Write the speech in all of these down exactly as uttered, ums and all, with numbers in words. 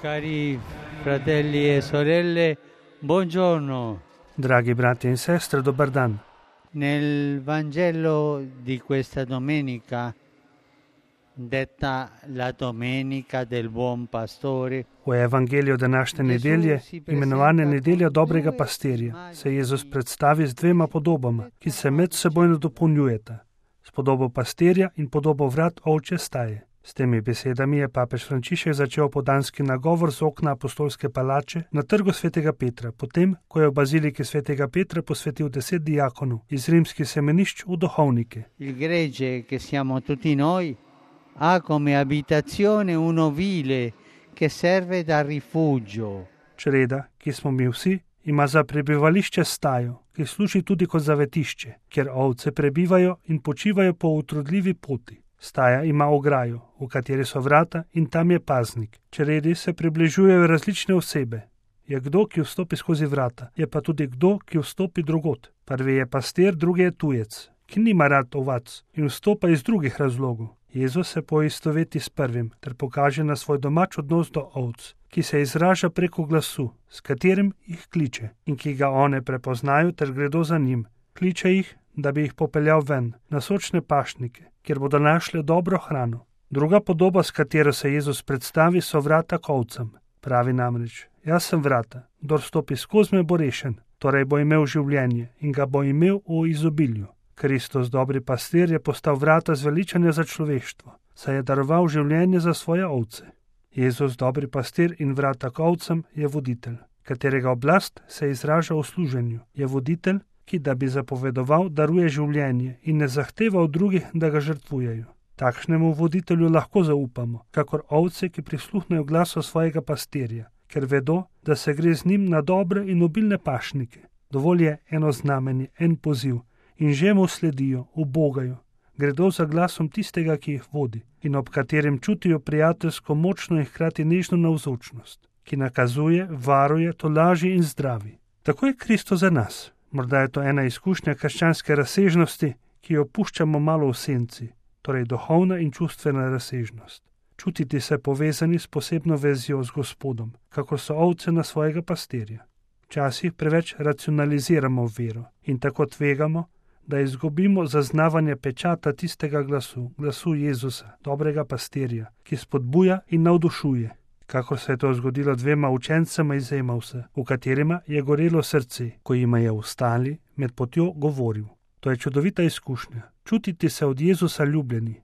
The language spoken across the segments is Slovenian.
Cari fratelli e sorelle, buongiorno. Dragi brati in sestre, dobar dan. Nel Vangelo di questa domenica, detta la Domenica del Buon Pastore, V evangeliju današnje nedelje, imenovane nedelja dobrega pastirja, se Jezus predstavi z dvema podobama, ki se medsebojno dopolnjujeta, s podobo pastirja in podobo vrat ovčje staje. S temi besedami je papež Frančišek začel podanski nagovor z okna apostolske palače na trgu svetega Petra, potem, ko je v baziliki svetega Petra posvetil deset diakonov iz rimskih semenišč v duhovnike. Il gregge che siamo tutti noi ha come abitazione un ovile che serve da rifugio. Čreda, ki smo mi vsi, ima za prebivališče stajo, ki služi tudi kot zavetišče, kjer ovce prebivajo in počivajo po utrudljivi poti. Staja ima ograjo, v kateri so vrata in tam je paznik. Čredi se približujejo različne osebe. Je kdo, ki vstopi skozi vrata, je pa tudi kdo, ki vstopi drugot. Prvi je pastir, drugi je tujec, ki nima rad ovac in vstopa iz drugih razlogov. Jezus se poistoveti s prvim ter pokaže na svoj domač odnos do ovc, ki se izraža preko glasu, s katerim jih kliče in ki ga one prepoznajo ter gredo za njim. Kliče jih, da bi jih popeljal ven, na sočne pašnike, kjer bodo našli dobro hrano. Druga podoba, s katero se Jezus predstavi, so vrata k ovcam. Pravi namreč, jaz sem vrata, kdor stopi skozi me bo rešen, torej bo imel življenje in ga bo imel v izobilju. Kristus, dobri pastir, je postal vrata zveličanja za človeštvo, saj je daroval življenje za svoje ovce. Jezus, dobri pastir in vrata k ovcam, je voditelj, katerega oblast se izraža v služenju. Je voditelj, ki, da bi zapovedoval, daruje življenje in ne zahteva od drugih, da ga žrtvujejo. Takšnemu voditelju lahko zaupamo, kakor ovce, ki prisluhnejo glasu svojega pastirja, ker vedo, da se gre z njim na dobre in obilne pašnike. Dovolj je eno znamenje, en poziv in že mu sledijo, ubogajo. Gredo za glasom tistega, ki jih vodi in ob katerem čutijo prijateljsko močno in hkrati nežno navzočnost, ki nakazuje, varuje, tolaži in zdravi. Tako je Kristus za nas. Morda je to ena izkušnja krščanske razsežnosti, ki jo puščamo malo v senci, torej duhovna in čustvena razsežnost. Čutiti se povezani s posebno vezijo z Gospodom, kakor so ovce na svojega pastirja. Včasih preveč racionaliziramo vero in tako tvegamo, da izgubimo zaznavanje pečata tistega glasu, glasu Jezusa, dobrega pastirja, ki spodbuja in navdušuje. Kakor se je to zgodilo dvema učencema iz Emausa, v katerima je gorelo srce, ko jima je vstali med potjo govoril. To je čudovita izkušnja. Čutiti se od Jezusa ljubljeni.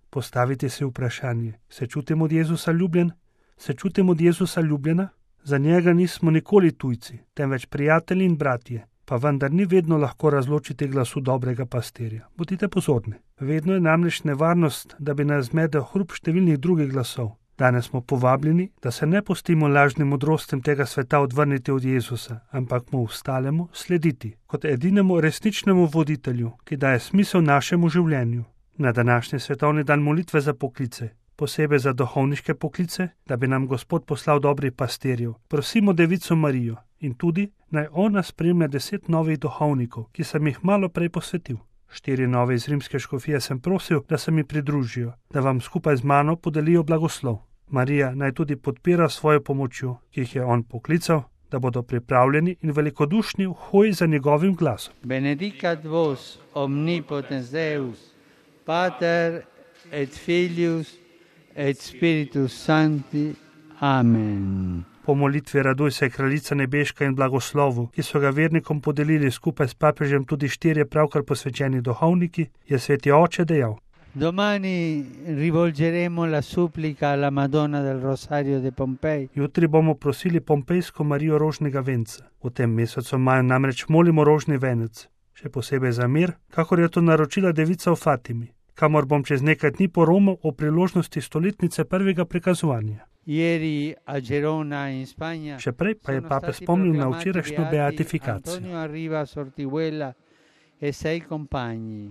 Postaviti si vprašanje, se čutim od Jezusa ljubljen? Se čutim od Jezusa ljubljena? Za njega nismo nikoli tujci, temveč prijatelji in bratje, pa vendar ni vedno lahko razločiti glasu dobrega pastirja. Bodite pozorni. Vedno je namreč nevarnost, da bi nas zmedel hrup številnih drugih glasov. Danes smo povabljeni, da se ne pustimo lažnim modrostem tega sveta odvrniti od Jezusa, ampak mu ostalemu slediti, kot edinemu resničnemu voditelju, ki daje smisel našemu življenju. Na današnji svetovni dan molitve za poklice, posebej za duhovniške poklice, da bi nam Gospod poslal dobrih pastirjev, prosimo Devico Marijo in tudi naj ona spremlja deset novih duhovnikov, ki sem jih malo prej posvetil. Štiri nove iz rimske škofije sem prosil, da se mi pridružijo, da vam skupaj z mano podelijo blagoslov. Marija naj tudi podpira svojo pomočjo, ki jih je on poklical, da bodo pripravljeni in velikodušni v hoji za njegovim glasom. Benedicat vos omnipotens Deus, Pater et Filius et Spiritus Sancti. Amen. Po molitvi raduj se, kraljica nebeška in blagoslovu, ki so ga vernikom podelili skupaj s papežem tudi štirje pravkar posvečeni duhovniki, je sveti oče dejal. Domani rivolgeremo la supplica alla Madonna del Rosario de Pompei. Jutri bomo prosili Pompejsko Marijo rožnega venca. V tem mesecu maju namreč molimo rožni venec, še posebej za mir, kakor je to naročila devica v Fatimi, kamor bom čez nekaj dni poromal o priložnosti stoletnice prvega prikazovanja. Ieri a Gerona in Spagna. Še prej pa je papež spomnil na včerajšnjo beatifikacijo. Antonio Arriba Sortiguela e sei compagni.